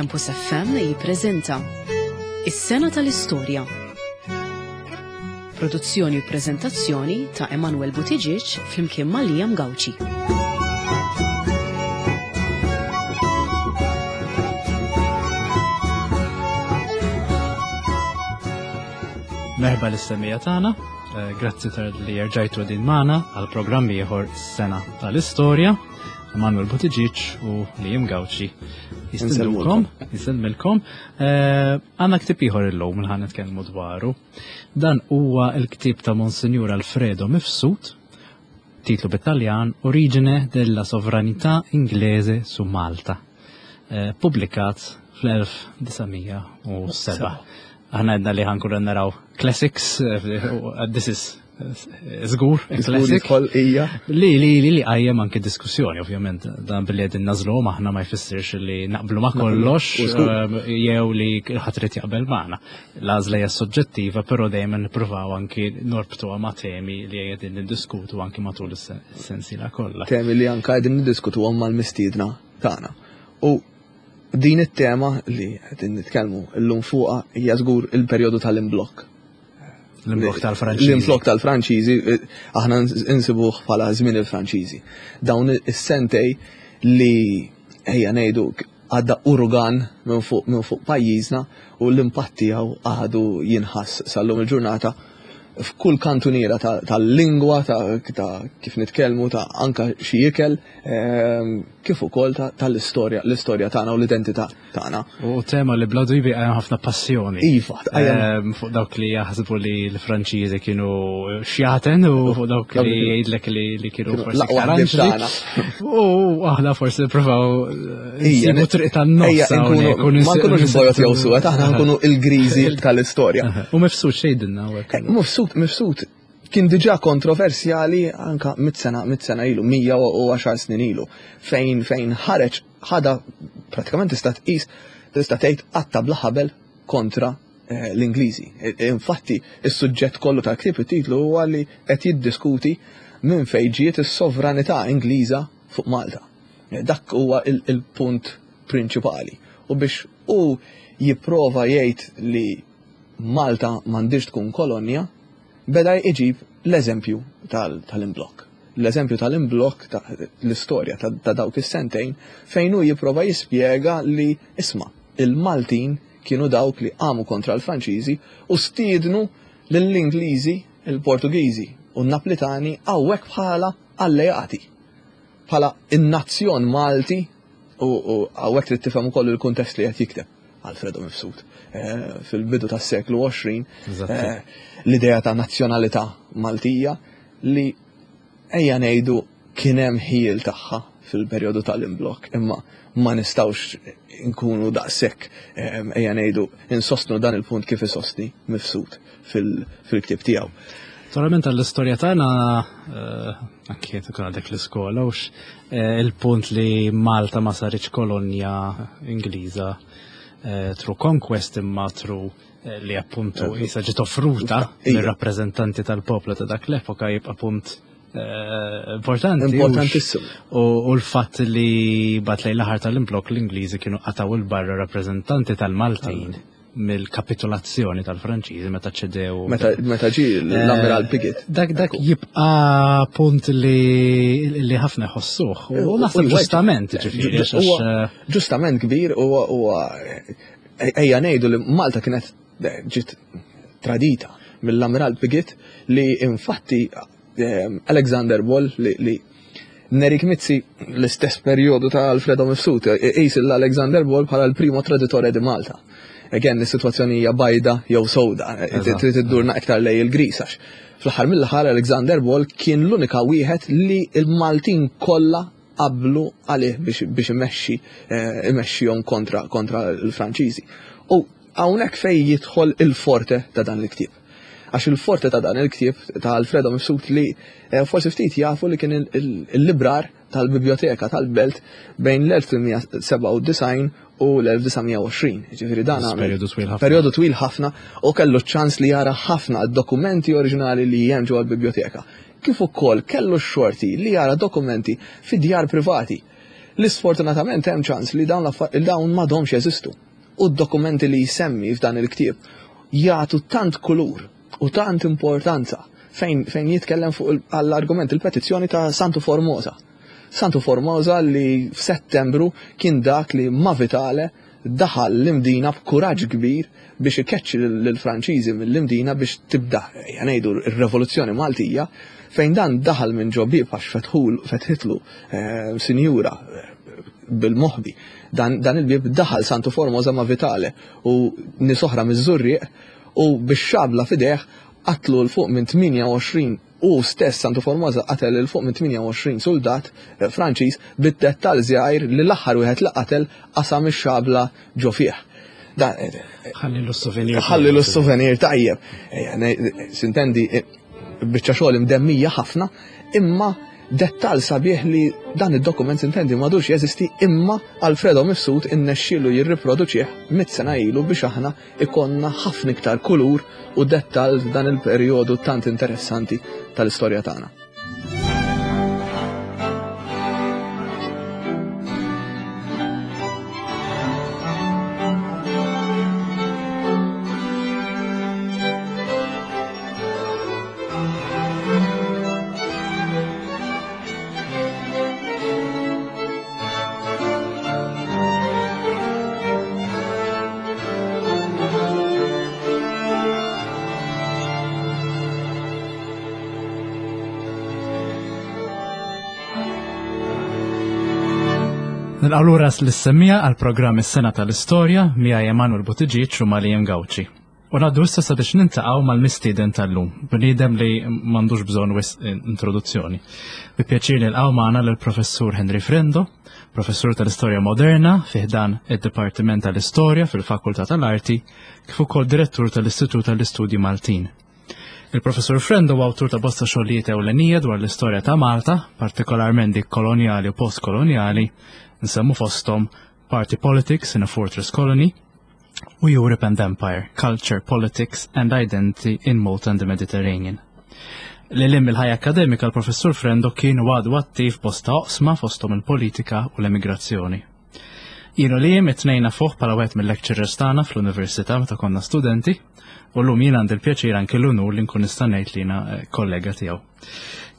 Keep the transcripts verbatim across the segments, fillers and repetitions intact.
Campus F M jippreżenta Is-Sena tal-Istorja. Produzzjoni u preżentazzjoni ta' Emanuel Buttigieg flimkien ma' Liam Gauci. Merħba lis-semija tagħna, grazzi tal li rġajtu din magħna għal programm ieħor Is-Sena tal-Istorja. Emanuel Buttigieg u Liam Gauci jistidnukom, jisemmilkom. Għandna ktieb ieħor illum li ħa nitkellmu dwaru. Dan huwa l-ktieb ta' Monsinjur Alfredo Mifsud, titlu bit-Taljan Origine della sovranità inglese su Malta, pubblikat fl-elf disa' mija u seba'. Aħna għedna li ħankunu naraw classics, this is żgur, classic. Jidħol hija. Li, li, li, li qajjem anke diskussjoni, ovvjament, dan billi qegħdin nażluhom aħna ma jfissirx li naqblu ma kollox, U żgur. jew li ħadd irid jaqbel magħna. L-għażla hija soġġettiva, però dejjem nippruvaw anki norbtuha ma' temi li qegħdin niddiskutu anki matul is-sensiela kollha. Temi li anke qegħdin niddiskutuhom mal-mistiedna tagħna. U din it-tema li qegħdin nitkellmu llum fuqha hija żgur il-perjodu tal-imblokk. L-imblokk tal-Franċiżi. L-imblokk tal-Franċiżi, aħna nsibuh bħala żmien il-Franċiżi. Dawn is-sentej li ejja ngħidu għadda urugan minn fuq, minn fuq pajjiżna u l-impatt tiegħu għadu jinħass sal-lum il-ġurnata f'kull kantuniera ta-, tal-lingwa, ta', ta' kif nitkellmu, ta' anka xi ikel, ehm, kif ukoll ta-, tal-istorja, l-istorja tagħna u l-identità tagħna. U tema li bla dubju qajjem ħafna passjoni. Iva, qajjem. Ehm, fuq dawk li jaħsbu li l-Franċiżi kienu xjaten u fuq dawk li jgħidlek li, li kienu Kienu forsi l-aqwa iktar ħbieb anġli. tagħna. U aħna forsi nippruvaw Ija, nsibu triq tan-nofs ejja, nkunu hawnhekk u ma nsi- nkunux nsibu bojot jew suwed, aħna nkunu il-griżi tal-istorja. Aha. U Mifsud x'jgħidilna hawnhekk? Eh, Mifsud, Mifsud kien diġà kontroversjali anka mit sena, mit sena ilu, mija u għaxar snin ilu, fejn, fejn ħareġ ħada pratikament tista' tqis, tista' tgħid qatta bla ħabel kontra, eh, l-Ingliżi. E, e, infatti, is-suġġett kollu tal-ktieb it-titlu huwa li qed jiddiskuti minn fejn ġiet is-sovranità Ingliża fuq Malta. E, dak huwa il-, il-punt prinċipali. U biex hu jipprova jgħid li Malta m'għandix tkun kolonja, beda jġib l-eżempju tal-, tal-imblokk. L-eżempju tal-imblokk ta' l-istorja ta', ta' dawk is-sentejn fejn hu jipprova jispjega li isma' il-Maltin kienu dawk li qamu kontra l-Franċiżi u stiednu lill-Ingliżi, il-Portugiżi u n-Naplitani hawnhekk bħala alleati. Bħala in-nazzjon Malti u, u hawnhekk trid tifhem ukoll il-kuntest li qed jikteb Alfredo Mifsud. Eh, fil-bidu tas-seklu għoxrin, Eżatt. eh, l-idea ta' nazzjonalità Maltija li ejja ngħidu kien hemm ħiel tagħha fil-perjodu tal-imblokk, imma ma nistgħux nkunu daqshekk, eh, ejja ngħidu insostnu dan il-punt kif isostni Mifsud fil-, fil-ktieb tiegħu. Naturalment għall-istorja tagħna, eh, anke tkun għadek l-iskola, hux, eh, il-punt li Malta ma saritx kolonja Ingliża, eh, through conquest imma through, eh, li appuntu Eh, issa ġiet offruta Ija. mir-rappreżentanti tal-poplu ta' dak l-epoka jibqa' punt, eh, importanti. Importantissimu. U, u l-fatt li bat lejn l-aħħar tal-imblokk l-Ingliżi kienu qataw il-barra rappreżentanti tal-Maltin mill-kapitolazzjoni tal-Franċiżi meta ċedew. Meta, meta ġie l-Ammiral Eh, Piggott. Dak, dak Ekku. jibqa' punt li, li ħafna jħossuh. U U- naħseb u ġustament, Le, ġifieri, ġu-, għax, huwa eh, ġustament kbir huwa, huwa, eh, ejja ngħidu li Malta kienet, eh, ġiet tradita mill-Ammiral Piggott li infatti, eh, Alexander Ball li, li Nerik Mizzi l-istess perjodu ta' Alfredo Mifsud, e-, qis l-Alexander Ball bħala l-primo traditore di Malta. Again, is-sitwazzjoni hija bajda jew sewda, e, Eżatt. trid iddurna iktar lej il-gris għax fl-aħħar mill-aħħar Alexander Ball kien l-unika wieħed li l-Maltin kollha qablu għalih biex, biex imexxi, eh, imexxihom kontra, kontra l-Franċiżi. U hawnhekk fejn jidħol il-forte ta' dan il-ktieb. Għax il-forte ta' dan il-ktieb ta' Alfredo Mifsud li, eh, forsi ftit jafu li kien il-, il-, il-librar tal-biblioteka tal-Belt bejn l-elf tmien mija sebgħa u disgħin u l-elf disa' mija u għoxrin. Ġifieri dan għamel Perjodu twil ħafna. Perjodu twil ħafna u kellu ċans li jara ħafna dokumenti oriġinali li hemm ġewwa l-biblioteka. Kif ukoll kellu x-xorti li jara dokumenti fi djar privati. Li sfortunatament hemm ċans li dawn dawn m'għadhomx jeżistu. U d-dokumenti li jsemmi f'dan il-ktieb jagħtu tant kulur u tant importanza fejn, fejn jitkellem fuq għall-argument il-petizzjoni ta' Santu Formosa. Santu Formosa li f'Settembru kien dak li ma' Vitale daħal l-Imdina b'kuraġġ kbir biex ikeċċi lill-Franċiżi mill-Imdina biex tibda, ngħidu, r-Revoluzzjoni Maltija, fejn dan daħal minn ġo bieb għax fetħul fetħitlu eh, sinjura eh, bil-moħbi. Dan, dan il-bieb daħal Santu Formosa ma' Vitale u nies oħra miż-Żurrieq u bix-xabla f'idejh qatlu 'l fuq minn tmienja u għoxrin, u stess Santu Formosa qatel 'il fuq minn tmienja u għoxrin soldat eh, Franċiż, bid-dettal żgħir li l-aħħar wieħed li qatel qasam ix-xabla ġo fih. Ħalli l-souvenir. Ħalli l-souvenir tajjeb. Sintendi, biċċa xogħol imdemmija ħafna, imma dettal sabiħ li dan id-dokument, sintendi, m'għadux jeżisti, imma Alfredo Mifsud innexxielu jirriproduċih mitt sena ilu biex aħna ikonna ħafna iktar kulur u dettal f'dan il-perjodu tant interessanti tal-istorja tagħna. Nilqgħu lura lis-semmiegħa għal programm Is-Sena tal-Istorja miegħi Emanuel Buttigieg u ma' Liam Gauci. U ngħaddu issa sabiex niltaqgħu mal-mistieden tal-lum, bniedem li m'għandux bżonn wisq introduzzjoni. Bi pjaċir nilqgħu magħna lill-Professur Henry Frendo, professur tal-Istorja Moderna fi ħdan id-Dipartiment tal-Istorja fil-Fakultà tal-Arti, kif ukoll direttur tal-Istitut tal-Istudji Maltin. Il-Professur Frendo huwa awtur ta' bosta xogħlijiet ewlenija dwar l-istorja ta' Malta, partikolarment dik kolonjali u postkolonjali, nsemmu fosthom Party Politics in a Fortress Colony u Europe and Empire, Culture, Politics and Identity in Malta and the Mediterranean. Lil hinn mill-ħajja akademika, l-Professur Frendo kien u għadu attiv bosta oqsma, fosthom il-politika u l-emigrazzjoni. Jien u Liam it-tnejn nafuh bħala wieħed mill-lecturers tagħna fl-università meta konna studenti, u llum jien għandi l-pjaċir, anke l-unur, li nkun nista' ngħid li jiena eh, kollega tiegħu.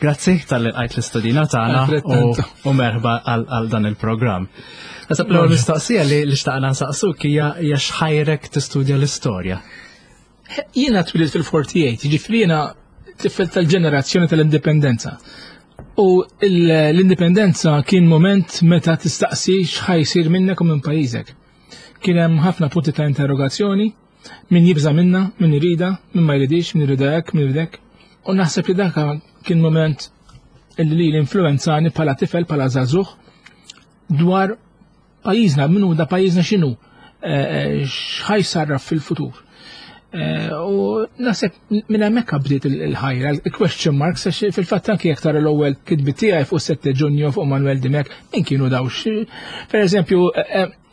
Grazzi talli lqajt l-istedina tagħna u, u merħba għal dan il-programm. Naħseb l-ewwel mistoqsija li li xtaqna nsaqsuk hija hija x'ħajrek tistudja l-istorja. Jiena twilidt fil-erbgħa u erbgħin, jiġifieri jiena tifel tal-ġenerazzjoni tal-indipendenza. U l-indipendenza kien moment meta tistaqsi x'ħa jsir minnek u minn pajjiżek. Kien hemm ħafna punti ta' interrogazzjoni, min jibża minna, min irida, min ma jridix, min irida hekk, min iridek. U naħseb li dak kien moment illi li l-influenzani bħala tifel, bħala żagħżugħ, dwar pajjiżna, minnu da pajjiżna, x'inhu, eh, eh, x'ħa jsarraf fil-futur. Eh, u naħseb minn hemmhekk bdiet il-ħajra, il-question marks, għax fil-fatt anki jekk tara l-ewwel kitbiet tiegħi fuq sette Ġunju, fuq Manuel Dimech, min kienu daw. Per eżempju,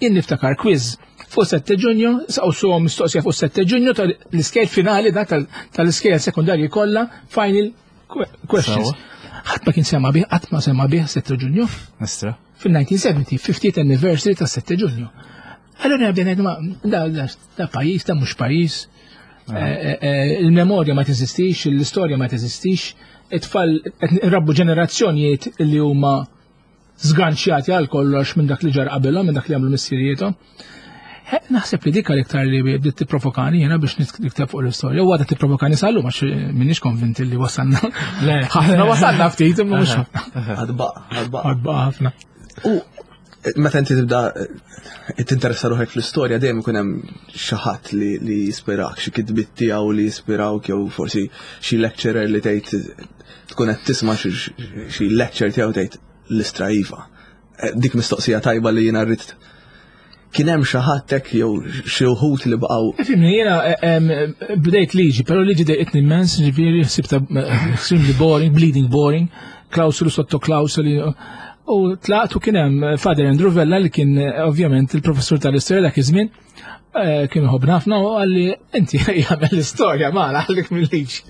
jien niftakar quiz fuq sette Ġunju, saqsuhom mistoqsija fuq sette Ġunju tal-iskejjel finali, da tal-iskejjel sekundarji kollha, final questions. Ħadd ma kien sema bih, qatt ma sema bih sette Ġunju. Istra. Fil-elf disa' mija u sebgħin, fiftieth anniversary ta' sette Ġunju. Allora bdejna ngħidu, da da pajjiż, da mhux pajjiż. Eh, eh, eh, il-memorja ma teżistix, l-istorja ma teżistix, it-tfal qed nrabbu ġenerazzjonijiet li huma zganċjati għal kollox minn dak li ġar qabilhom, minn dak li għamlu missirijiethom. Naħseb li dik l-iktar li bdiet tipprovokani jiena biex nikteb fuq l-istorja. U għadha tipprovokani sal-lum, għax m'iniex konvinti li wasalna. Ħafna wasalna, ftit, imma mhux ħafna. Għad baqa', għad baqa'. Għad baqa' ħafna. U meta inti tibda eh, tinteressa ruħek fl-istorja, dejjem ikun hemm xi ħadd li li jispirak, xi kitbiet tiegħu li jispirawk, jew forsi xi lecturer li tgħid, tkun qed tisma' xi lecture tiegħu, tgħid l-istra iva. Eh, dik mistoqsija tajba li jiena rrid, kien hemm xi ħadd hekk jew xi wħud li baqgħu? Ifhimni, jiena eh, bdejt liġi, però liġi dejqitni immens, ġifieri ħsibta extremely boring, bleeding boring, klausuli sotto klausuli. U tlaqt u kien hemm Father Andrew Vella li kien eh, ovvjament il-professur tal-istorja dak iż-żmien, eh, kien iħobbna ħafna u qalli inti jagħmel l-istorja ma għalik mill-liġi.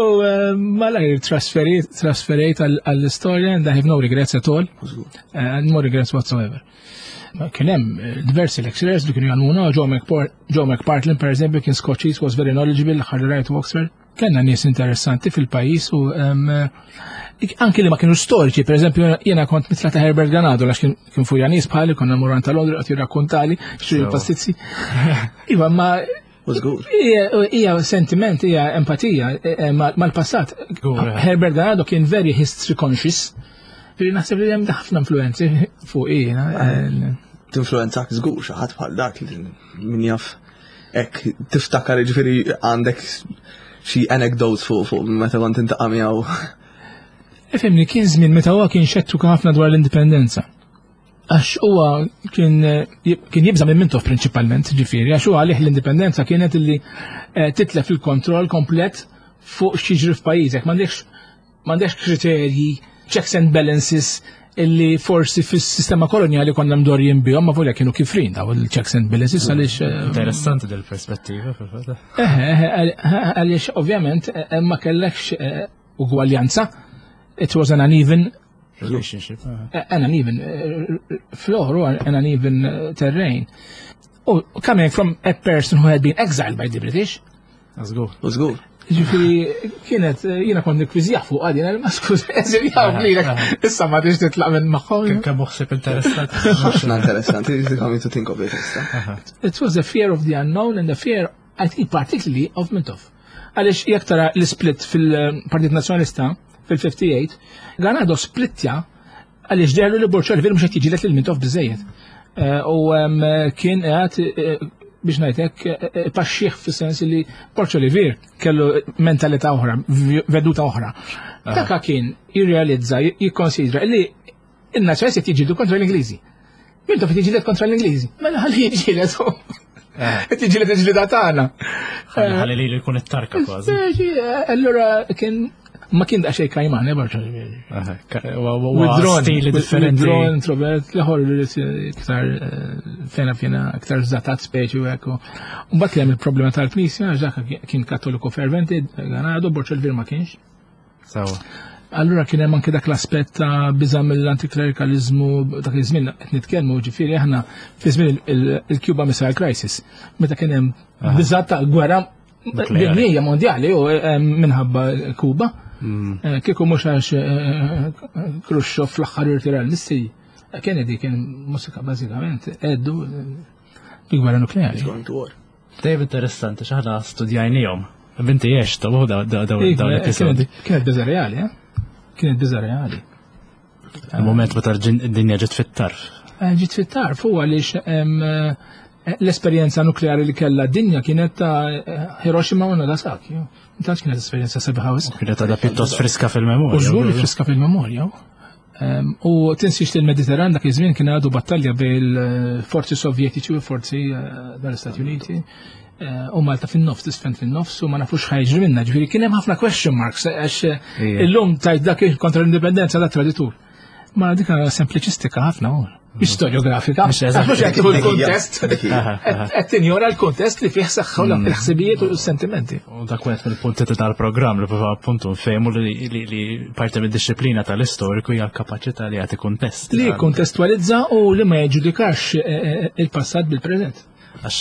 U eh, malajr trasferit trasferejt għall-istorja and I have no regrets at all. Uh, no regrets whatsoever. Ma Kien hemm eh, diversi lecturers li kienu jgħallmuna, Joe McPar- Joe McPartlin per eżempju kien Scottish, was very knowledgeable, ħarri right to Oxford. Kellna nies interessanti fil-pajjiż u em, eh, anki li ma kienu storiċi, per eżempju jiena kont mitla ta' Herbert Ganado, għax kien kien furjaniż bħali, konna mmorru ta' Londra qed jirrakkontali xi Sewa. pastizzi. Iva, ma U żgur. hija hija sentiment, hija empatija eh, eh, mal- mal-passat. Żgur, eh. Herbert Ganado kien very history conscious. Ġifieri naħseb li hemm ħafna influenzi fuq jiena. eh, Tinfluenzak żgur xi ħadd bħal dak li min jaf hekk tiftakar ġifieri għandek xi anecdotes fuq fuq meta kont tiltaqa' miegħu. Ifhimni, kien żmien meta huwa kien xettiku ħafna dwar l-indipendenza. Għax huwa kien kien jibża minn Mintoff prinċipalment, ġifieri, għax huwa għalih l-indipendenza kienet illi eh, titlef il-kontroll komplet fuq x'jiġri f'pajjiżek. M'għandekx m'għandekx kriterji, checks and balances illi forsi fis-sistema kolonjali konna mdorrijin bihom, ma volja kienu kifrin daw il-checks and balances għaliex eh, Interessanti del-perspettiva fil-fatt. Eh, eh, għaliex ovvjament eh, ma kellekx eh, ugwaljanza. It was an uneven Relationship. ah. an uneven uh, floor or an uneven uh, terrain. Oh, coming from a person who had been exiled by the British, Żgur. U żgur. ġifieri, kienet, eh, jiena kont nikkwiżjah fuq għadin, ma skuż, eżiljaw lilek, issa ma tix titlaq minn magħhom. Kemm kemm ħsieb interessanti. Ħafna interessanti, coming to think of it issa. It was a fear of the unknown and the fear, I think, particularly of Mintoff. Għaliex jekk tara l-split fil-Partit Nazzjonalista fil-ħamsa u ħamsin, Ganado splittja għaliex dehrlu li Borg Olivier mhux qed jiġġieled lil Mintoff biżejjed. Eh, U em, kien qed eh, biex ngħidlek eh, paxxih fis-sens li Borg Olivier kellu mentalità oħra, veduta oħra. Daka kien jirrealizza, jikkonsidra li in-nazzjonalisti qed jiġġieldu kontra l-Ingliżi. Mintoff qed jiġġieled kontra l-Ingliżi. Mela ħalli jiġġieled. Qed jiġġieled il-ġlida tagħna. Ħalli li jkun it-tarka kważi. Speċi, Allura kien ma kien daqsxejn kajman, eh, Borg Olivier. Aha, ka- wa- wa- wa- Withdrawn, Stili differenti. Withdrawn, introvert, l-ieħor iktar eh, fena fena, iktar zatat speċi u ekku. Mbagħad li hemm il-problema tal-Knisja, għax dak kien kattoliku ferventi, Ganado, Borg Olivier ma kienx. Sewa. Allura kien hemm anke dak l-aspett ta' biża' mill-antiklerikalizmu dak iż-żmien qed nitkellmu ġifieri aħna fi żmien il- il-Cuba Missile Crisis meta kien hemm biża' ta' gwerra Nukleari. dinjija mondjali u eh, minħabba Kuba. Eh, Kieku mhux għax eh, Khrushchev fl-aħħar irtira l-missili, Kennedy kien musika bażikament għeddu bi gwerra nukleari. Going to war. Dejjem interessanti x'aħna studjajnihom. Binti għex ta' daw daw daw Iva, l-episodi. Kienet kienet biża' reali, eh? Kienet biża' reali. Il-moment meta d-dinja ġiet fit-tarf. Eh, Ġiet fit-tarf u għaliex em, eh, l-esperjenza nukleari li kellha d-dinja kienet ta' eh, Hiroshima u Nagasaki. Tantx kienet esperjenza sabiħa wisq. Kienet għadha pjuttost friska fil-memorja. U żgur li friska fil-memorja. Em, U tinsiex li l-Mediterran dak iż-żmien kien għadu battalja bil-forzi sovjetiċi u forzi eh, tal-Istati Uniti. Eh, U Malta fin-nofs, tisfen fin-nofs u ma nafux x'ħa jiġri minna. Ġifieri kien hemm ħafna question marks għax eh, Ija. illum tajt dak kontra l-indipendenza da traditur. Ma dik sempliċistika ħafna u. Mhix storjografika. Mhux eżatt. Mhux qed tieħu l-kuntest. Dik hija. Aha, aha. Qed tinjora l-kuntest li fih saħħu l-ħsibijiet u s-sentimenti. U dak wieħed mill-punti ta' tal-programm li prova appuntu nfehmu li, li, li parti mid-disciplina tal-istoriku hija l-kapaċità li jagħti kuntest. Li kontestualizza u li ma jiġġudikax eh, eh, il-passat bil-preżent. Għax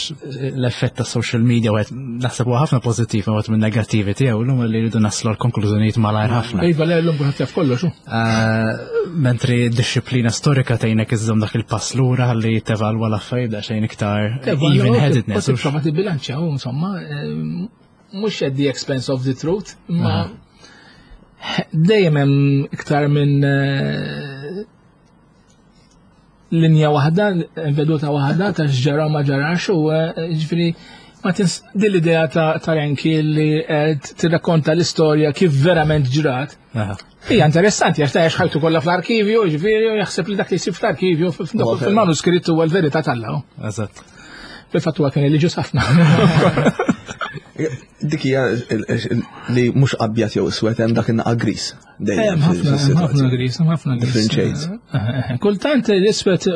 l-effett ta' social media wieħed naħseb huwa ħafna pożittiv u wieħed minn negattivi tiegħu llum li jridu naslu l-konklużjonijiet malajr ħafna. Iva, le l-lum kulħadd jaf kollox. hu. Eh, Mentri d-disciplina storika tgħinek iżżomm dak il-pass lura ħalli tevalwa l-affarijiet daqsxejn iktar even-headedness. U tipprova tibbilanċja u insomma, eh, mhux at the expense of the truth, ma dejjem hemm iktar minn eh, linja waħda, veduta waħda ta' x'ġara u ma ġarax u eh, ġifieri ma tins din l-idea ta' ta' Renki li qed tirrakkonta l-istorja kif verament ġrat. Aha. Hija interessanti għax ta' ħajtu kollha fl-arkivju, ġifieri u jaħseb li dak li jsir fl-arkivju Huwa veru. fil-manuskritt huwa l-verità t'Alla. Eżatt. Fil-fatt huwa kien reliġjuż ħafna. Dik hija li mhux abjad jew iswed, hemm dak in-naqa gris. Hemm ħafna, ħafna gris, hemm ħafna gris. Different shades. Eh, eh, Kultant l-iswed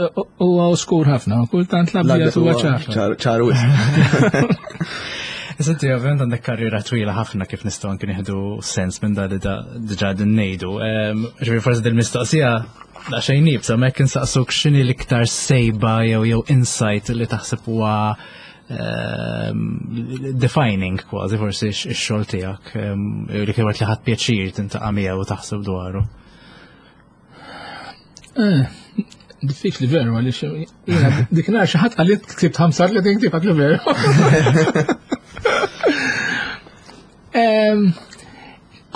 huwa oskur ħafna, kultant l-abjad huwa ċar. Ċar wisq. Issa inti ovvjament għandek karriera twila ħafna, kif nistgħu anke nieħdu sens minn da li diġà din ngħidu. Ġifieri forsi dil-mistoqsija daqsxejn iebsa, ma jekk insaqsuk x'inhi l-iktar sejba jew jew insight li taħseb huwa defining kważi forsi x-xogħol tiegħek, li kien li ħadt pjaċir tintaqa' miegħu u taħseb dwaru. Eh, diffiċli veru, għaliex jiena dik nhar xi ħadd qalli ktibt ħamsa li ktibt li veru.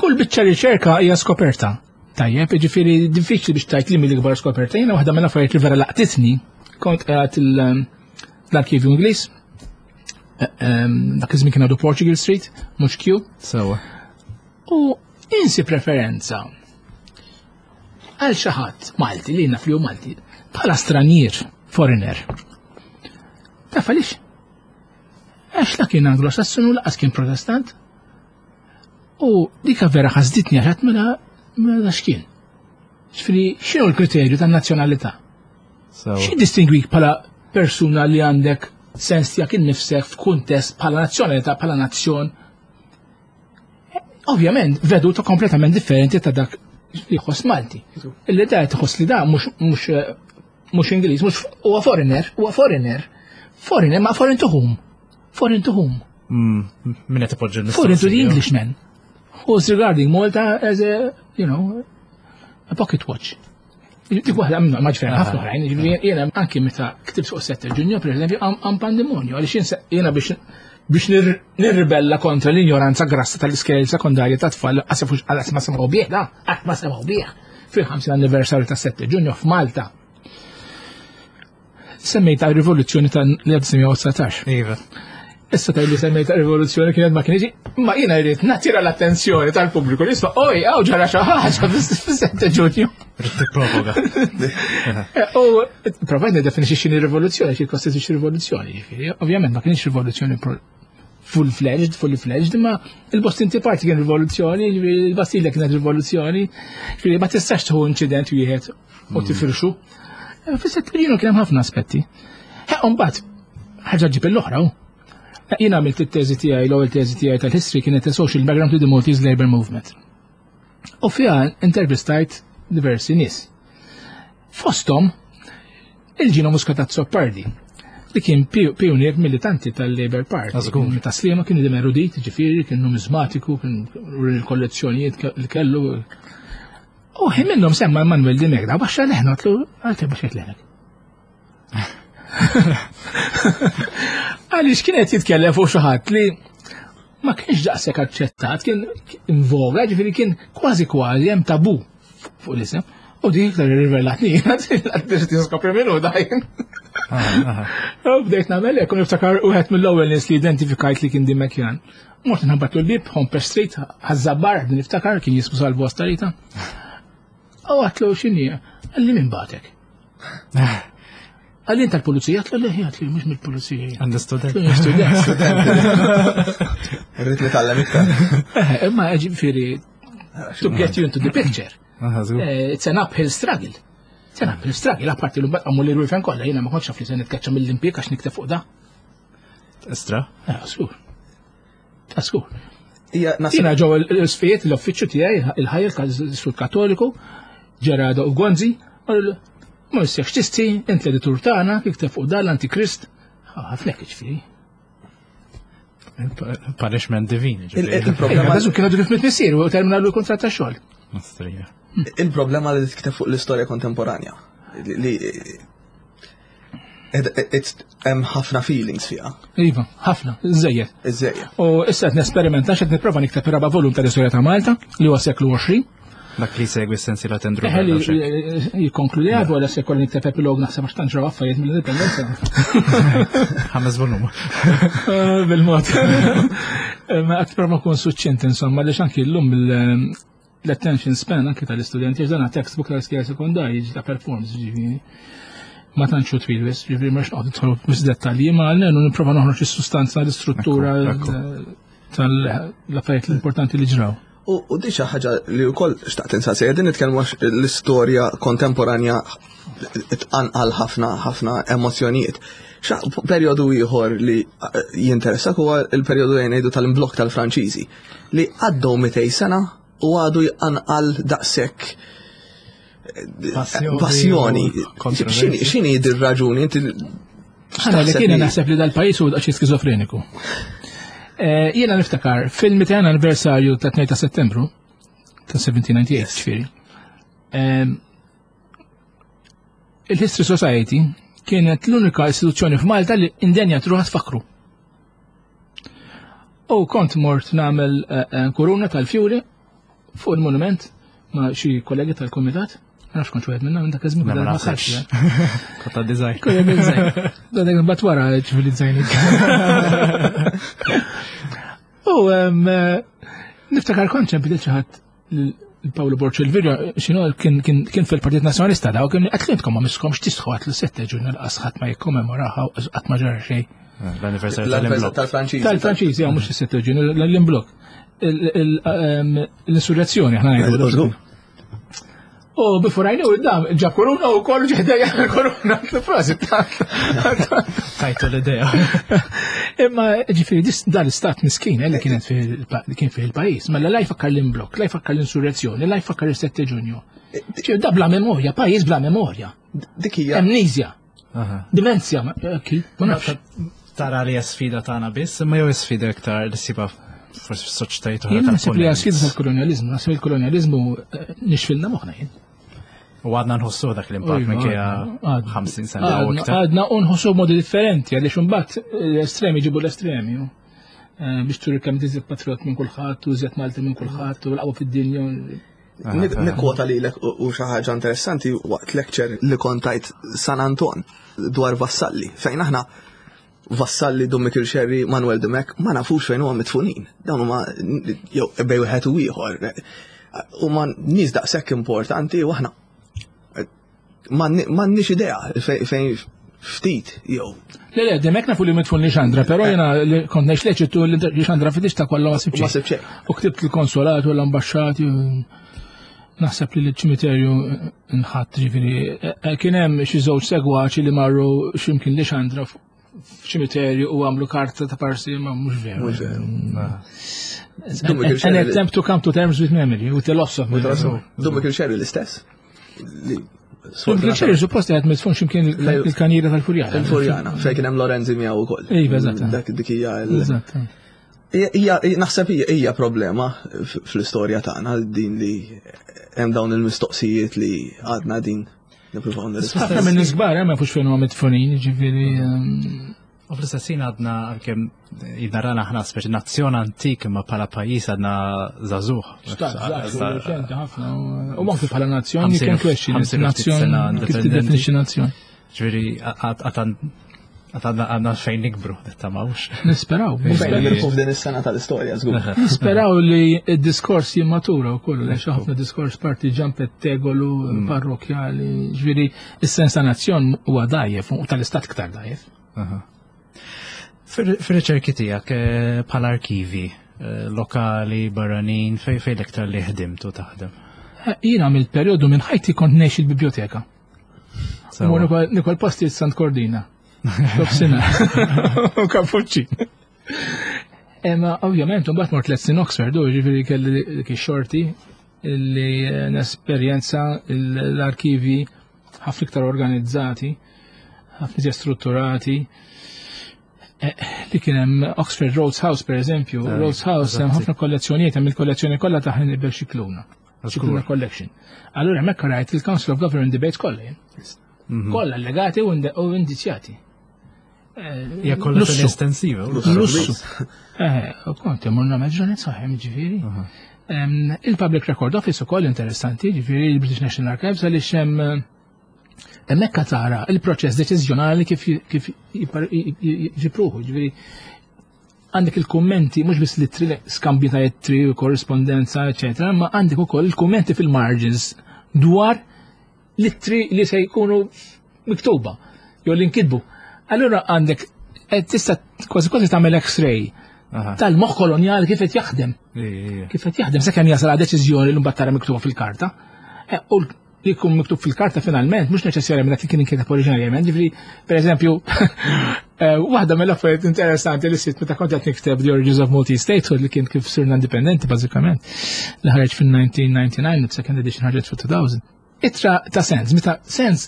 Kull biċċa riċerka hija skoperta. Tajjeb, jiġifieri diffiċli biex tgħid li mill-ikbar skoperta. Jiena waħda mill-affarijiet li vera laqtitni, kont qiegħed l-arkivju Ingliż, dak iż-żmien kien għadu Portugal Street, mhux Q. Sewa. U insi preferenza għal xi ħadd Malti li naf li hu Malti bħala stranier, foreigner. Taf għaliex? Għax la kien Anglo-Sassonu, laqas kien Protestant. U dika vera ħasditni għax mela mela x'kien. Ġifieri x'inhu l-kriterju tan-nazzjonalità? Xi distingwik bħala persuna li għandek sens tiegħek innifsek f'kuntest bħala nazzjonalità, bħala nazzjon? Ovvjament, veduta kompletament differenti ta' dak li jħoss Malti. Illi da tħoss li da mhux mhux mhux Ingliż, mhux huwa foreigner, huwa foreigner. Foreigner, ma foreign to whom? Foreign to whom? Min qed ipoġġi l-mistoqsija? Foreign to the Englishman who's regarding Malta as a, you know, a pocket watch. Dik waħda minnu, ma ġifieri ħafna oħrajn, ġifieri jiena anki meta ktibt fuq sette Ġunju, per eżempju, għam pandemonju, għaliex jiena biex biex nirribella kontra l-ignoranza grassa tal-iskejjel sekondarja ta' tfal, għasifux għal ma semgħu bih, da, qatt ma semgħu bih. Fil-ħamsin anniversarju ta' sette Ġunju f'Malta. Semmejta rivoluzzjoni tal-elf disa' mija u dsatax. Iva. Issa tajli semmejta rivoluzzjoni kienet ma kienx, ma jiena jrid nattira l-attenzjoni tal-pubbliku li jisma' oj, hawn ġara xi ħaġa fis-sette Ġunju. Rrid tipprovoka. U provajt niddefinixxi x'inhi rivoluzzjoni, xi kostitwixxi rivoluzzjoni, ġifieri. Ovvjament ma kienx rivoluzzjoni full-fledged, fully fledged, imma il-Boston Tea Party kien rivoluzzjoni, il-Bastilja kienet rivoluzzjoni, ġifieri ma tistax tieħu inċident wieħed u tifirxu. Fis-sette Ġunju kien hemm ħafna aspetti. Mbagħad ħaġa ġib l-oħra. Jiena għamilt it-teżi tiegħi, l-ewwel teżi tiegħi tal-history kienet a social background to the Maltese Labour Movement. U fiha intervistajt diversi nies. Fosthom il-Gino Muscat Azzopardi, li kien pionier militanti tal-Labour Party. Ta' Sliema kien idem erudit, ġifieri, kien numizmatiku, kien il-kollezzjonijiet li kellu. U ħin minnhom semma Manuel Dimech, da baxxa leħna, għatlu, għalti baxxet leħnek. Għaliex kien qed jitkellem fuq xi ħadd li ma kienx daqshekk aċċettat, kien invoga, ġifieri kien kważi kważi hemm tabu fuq l-isem. U dik iktar irrivelatni, biex tiskopri minnu dajn. U bdejt nagħmel hekk, u niftakar wieħed mill-ewwel nies li identifikajt li kien Dimechjan. Mort nħabbat l-bib, Hompesch Street, Ħaż-Żabbar, niftakar kien jismu Salvu Astarita. U għatlu x'inhi, qalli min batek. Għallin tal-pulizija, għatlu leħi, għatlu mux mill-pulizija. Għandu student. Student. Rrit nitgħallem iktar. Imma ġifieri, to get you into the picture. It's an uphill struggle. It's an uphill struggle, apparti l-mbagħad għamlu li rwifen kollha, jiena ma kontx naf li se nitkaċċa mill-impjieg għax nikteb fuq da. Istra? Skur. Skur. Jiena ġew l-isfijiet l-uffiċċju tiegħi, il-ħajja sul Kattoliku, Ġerardo u Gonzi, ma jissiex tisti, int l-editur tagħna, ikteb fuq dan l-Antikrist. Ħafna ġifieri. Punishment divin, ġifieri. Il-problema. Għażu kienu kif mit-missier u terminalu l-kuntratt ta' xogħol. Mastrija. Il-problema li tikteb fuq l-istorja kontemporanja. Li hemm ħafna feelings fiha. Iva, ħafna, iżejjed. Iżejjed. U issa qed nesperimenta x'qed nipprova nikteb ir-raba' volum tal-istorja ta' Malta li huwa seklu għoxrin. Dak li segwi s-sensiela Tendru. Eħe li jikkonkludi għadu għala se kolli nikteb epilog naħseb għax tanġraw affarijiet mill-indipendenza. Ħames volum. Bil-mod. Ma qed prova nkun suċċint insomma għaliex anki llum l-attention span anki tal-istudenti għax dan textbook tal-iskejjel sekondarji ta' performance ġifieri. Ma tantx hu twil wis, ġifieri mhux noqgħod nidħol wis dettalji, ma għalmenu nipprova noħroġ is-sustanza, l-istruttura. tal-affarijiet l-importanti li ġraw. U u di xi ħaġa li wkoll xtaqt insaqsi, qegħdin nitkellmu għax l-istorja kontemporanja tqanqal ħafna ħafna emozzjonijiet. Xa perjodu ieħor li eh, jinteressak huwa il-perjodu li ngħidu tal-imblokk tal-Franċiżi li għaddew mitejn sena u għadu jqanqal daqshekk eh, Passjoni passjoni. u kontroversja. X'inhi x'inhi dir raġuni inti Ħana li kiena naħseb li dal-pajis huwa daqsxejn skizofreniku. Eh, Jiena niftakar fil-mitejn anniversarju ta' tnejn ta' Settembru ta' elf seba' mija u tnejn u disgħin, ġifieri. Em, Il-History Society kienet l-unika istituzzjoni f'Malta li indenja truħa tfakru. U kont mort nagħmel eh, eh, kuruna tal-fjuri fuq il-monument ma' xi kollegi tal-komitat. Ma nafx kont wieħed minnhom minn dak iż-żmien, Ma ma naħsibx. ħadd. Kota design. Kollha design. Dak bat wara ċivilizzajni. U em, eh, niftakar kont ċempil xi ħadd Paolo Borg Olivier, xinu kien kien kien fil-Partit Nazzjonalista da, u kien għatlinkom ma miskomx tisħu għatlu sette ġurnal qas ħadd ma jikkommemoraha u qatt ma ġara xejn. L-anniversarju l-anniversarju tal-imblokk. tal-Franċiżi. Tal-Franċiżi, mhux is-sette ġurnal, l-imblokk. L-insurrezzjoni, aħna ngħidu. U bifurajni u dam, ġab koruna u kollu ġeħdejja koruna, frasi. Tajtu l-idea. Imma ġifieri dis- dan l-istat miskin eh, li kienet fih li kien fih il-pajjiż, mela la jfakkar l-imblokk, la jfakkar l-insurrezzjoni, la jfakkar il-sette Ġunju. Ġifieri da bla memorja, pajjiż bla memorja. Dik hija Amnesia, Aha. demenzja, ma eh, ki, ma nafx. Tara li hija sfida tagħna biss, imma jew sfida iktar li ssibha forsi fis-soċjetajiet oħra Jiena naħseb li hija sfida tal-punent. tal-kolonjalizmu, naħseb il-kolonjalizmu eh, nixfilna moħħna jien. U għadna nħossu dak l-impatt minkejja Għadna. ħamsin sena u Għadna iktar. għadna u nħossu b'modi differenti, għaliex imbagħad l-estremi ġibu l-estremi. u, eh, Biex turi kemm tiżjed patriot minn kulħadd, u iżjed Malti minn kulħadd, u l-qawwa fid-dinja. Nik- Nikkwota lilek u u xi ħaġa interessanti waqt lecture li kontajt San Anton dwar Vassalli, fejn aħna Vassalli, Dun Mikiel Xerri, Manuel Dimech, ma nafux fejn huma mitfunin. Dawn huma jew bej wieħed u ieħor. Huma nies daqshekk importanti u aħna m'għandniex idea fejn fejn ftit jew Le, le, Dimech nafu li mitfun Lixandra, pero jena li kont ngħix l-Eġittu li Lixandra fidix ta' kollha ma ma sibx. sib xejn. U ktibt il-konsolat u l-ambasċati, u naħseb li l-ċimiterju nħadd ġifieri. eh, eh, Kien hemm xi żewġ segwaċi li marru x'imkien Lixandra f'ċimiterju u għamlu karta ta' parsi, ma mhux veru. Mhux veru. An an attempt to come to terms with memory, with the loss of memory. Dun Mikiel Xerri l-istess. Li- Il-ċerri suppost qed mitfun x'imkien il-kanjira tal-Furjana. Il-Furjana, fejn kien hemm Lorenzi miegħu wkoll. Iva, eżatt. Dak dik hija l- Eżatt. Hija naħseb hija hija problema f- fl-istorja tagħna din li hemm dawn il-mistoqsijiet li għadna din nippruvaw nirrispondu. Ħafna minn nies kbar, eh, ma jafux fejn huma mitfunin, ġifieri ehm, U fl-istess ħin għadna għalkemm jidnarana aħna speċi nazzjon antik imma bħala pajjiż għadna żagħżugħ. Stat, żgħar, reċenti ħafna. u- U anke bħala nazzjon, Ħamsin kien u- question, ħamsin u ftit nazzjon, sena kif indipendenti. tiddefinixxi nazzjon. Ġifieri għad għadna fejn nikbru, nittamawx. Nisperaw. Fejn nirfu f'din is-sena tal-istorja żgur. Nisperaw li d-diskors jimmatura u kollu, għax ħafna diskors partiġan pettegolu, parrokjali, ġifieri, is-sens ta' nazzjon huwa dajjef, u tal-istat iktar dajjef. Fir-riċerki tiegħek eh, bħala arkivi eh, lokali, barranin, fej fej l-iktar li ħdimtu taħdem. Eh, Jiena mill-perjodu minn ħajti kont ngħix il-biblioteka. Sewa. U nikol- Nikol posti Sant Kordina. Topsina. U kapuċċi. Imma ovvjament, mbagħad mort tliet snin Oxford, u ġifieri kelli dik ix-xorti li eh, nesperjenza l-arkivi ħafna iktar organizzati, ħafna iżjed strutturati. Eh, Li kien hemm Oxford Rhodes House per eżempju, Eh, Rhodes House hemm eżatti. ħafna kollezzjonijiet, hemm il-kollezzjoni kollha ta' Hannibal Scicluna. Scicluna Collection. Allura hemmhekk rajt il-Council of Government Debates kollha jien. Mhm. Kollha allegati u inde- u indizjati. Hija kollezzjoni Lussu. estensiva. u Lussu. Eh, u kont imur nagħmel ġranet saħem ġifieri. Em, Il-Public Record Office ukoll interessanti, ġifieri il-British National Archives għaliex hemm hemmhekk tara il-proċess deċiżjonali kif kif jipar- jġibruħu, ġifieri għandek il-kummenti mhux biss l-ittri skambji ta' ittri u korrispondenza, eċetera, ma għandek ukoll il-kummenti fil-margins dwar l-ittri li se jkunu miktuba jew li nkitbu. Allura għandek eh, tista' kważi kważi tagħmel X-ray Tal-moħħ kolonjali kif qed jaħdem. Kif qed jaħdem sakemm jasal għal deċiżjoni li mbagħad tara miktuba fil-karta. Eh, u li jkun miktub fil-karta finalment mhux neċessarjament dak li kien inkiteb oriġinarjament. Ġifieri, pereżempju, eh, waħda mill-affarijiet interessanti li sitt meta kont qed nikteb The Origins of Maltese Statehood, li kien kif sirna indipendenti bażikament, li ħareġ fil-elf disa' mija u disgħa u disgħin, second edition ħarġet fil-elfejn. Ittra ta' Sands, meta Sands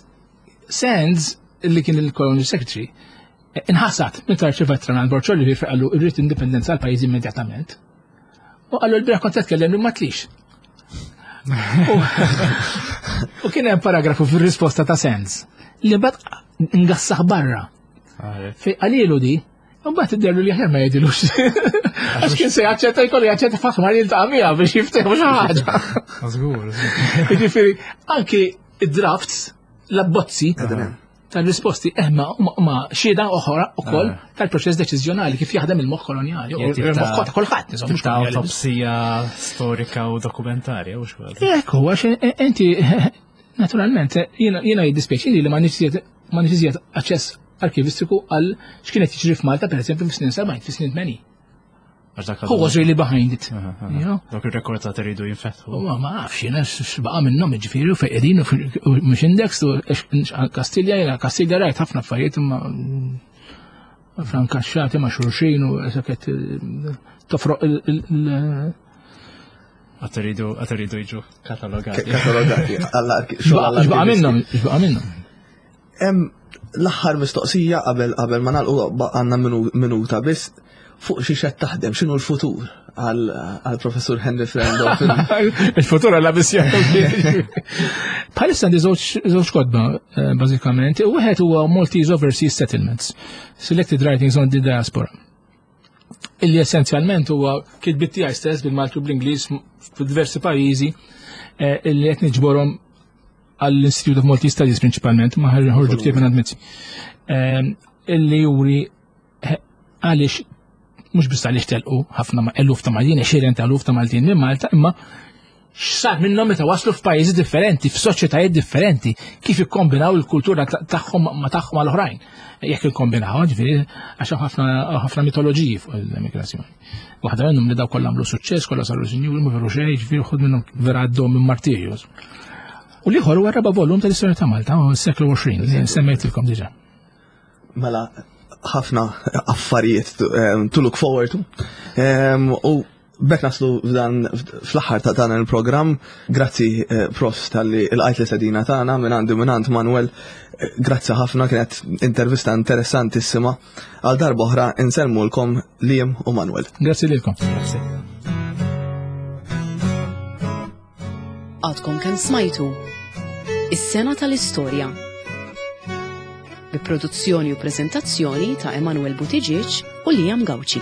Sands li kien il-Colonial Secretary inħasat meta rċeva ittra minn Borg Olivier fejn qallu irrid indipendenza għal pajjiż immedjatament. U qallu l-bieraħ kont qed tkellem li ma tlix. U kien hemm paragrafu fir-risposta ta' Sands li bad ngassaħ barra. Fejn qalilu di, mbagħad idderlu li aħjar ma jgħidilux. Għax kien se jaċċetta, jkollu jaċċetta faħmar jiltaqa' miegħu biex jiftehmu xi ħaġa. Żgur. Jiġifieri anki id-drafts, l-abbozzi tal-risposti eħma ma xhieda oħra ukoll tal-proċess deċiżjonali kif jaħdem il-moħħ kolonjali. Il-moħħ ta' kulħadd, insomma. Ta' autopsija storika u dokumentarja u xogħol. Ekku, għax inti naturalment jiena jiddispjaċini li ma nix aċċess arkivistiku għal x'kienet jiġri f'Malta, pereżempju, fis-snin sebgħin, fis-snin tmenin. Who was really behind it? Dawk il-records għad iridu jinfetħu. Ma ma nafx, jiena x'baqa' minnhom, ġifieri, u fejn qegħdin u mhux index u Kastilja, jiena Kastilja rajt ħafna affarijiet imma frankaxxati ma' xulxin u saket tofroq il- Għad iridu għad iridu jiġu katalogati. Katalogati. X'baqa' minnhom, x'baqa' minnhom. L-aħħar mistoqsija qabel qabel ma nagħlqu, għandna minuta biss, fuq xi xed taħdem, x'inhu l-futur għal professur Henry Frendo? Il-futur għalla biss. Bħalissa għandi żewġ kotba eh, bażikament. Wieħed huwa Maltese Overseas Settlements, Selected Writings on the Diaspora. Illi essenzjalment huwa kitbiet tiegħi stess bil-Malti u bl-Ingliż f'diversi pajjiżi eh, illi qed niġborhom għall-Institute of Maltese Studies prinċipalment, ma ħarġu ktieb minn Mizzi. Eh, illi juri għaliex, mhux biss għaliex telqu ħafna eluf ta' Maltin, għexieren ta' eluf ta' Maltin minn Malta, imma x'sar minnhom meta waslu f'pajjiżi differenti, f'soċjetajiet differenti, kif ikkombinaw il-kultura tagħhom ma tagħhom mal oħrajn. Jekk ikkombinaw, ġifieri, għax ħafna ħafna mitoloġiji fuq l-emigrazzjoni. Waħda minnhom li daw kollha għamlu suċċess, kollha saru sinjuri, ma veru xejn, ġifieri ħud minnhom vera għaddew minn martirju. U l-ieħor huwa raba' volum tal-istorja ta' Malta, u s-seklu għoxrin, li semmejtilkom diġà. Mela, ħafna affarijiet to, um, to look forward to. Um, u b'hekk naslu f'dan fl-aħħar ta' dan il-programm. Grazzi, eh, Prof talli lqajt l-istedina tagħna minn għandi, minn għand Manuel. Eh, Grazzi ħafna, kienet intervista interessantissima. Għal darba oħra insellmulkom Liam u Manuel. Grazzi lilkom. Grazzi. Għadkom kemm smajtu Is-sena tal-istorja, bi produzzjoni u prezentazzjoni ta' Emanuel Buttigieg u Liam Gauci.